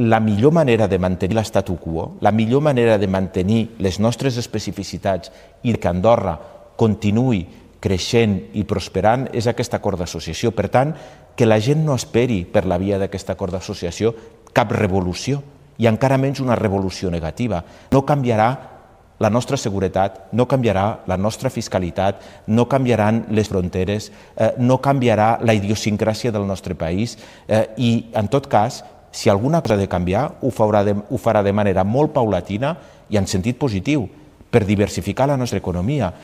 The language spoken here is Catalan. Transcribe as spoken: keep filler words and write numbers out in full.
La millor manera de mantenir l'estatu quo, la millor manera de mantenir les nostres especificitats i que Andorra continuï creixent i prosperant és aquest acord d'associació. Per tant, que la gent no esperi per la via d'aquest acord d'associació cap revolució i encara menys una revolució negativa. No canviarà la nostra seguretat, no canviarà la nostra fiscalitat, no canviaran les fronteres, eh, no canviarà la idiosincràsia del nostre país eh, i, en tot cas, si alguna cosa ha de canviar, ho farà de, ho farà de manera molt paulatina i en sentit positiu, per diversificar la nostra economia.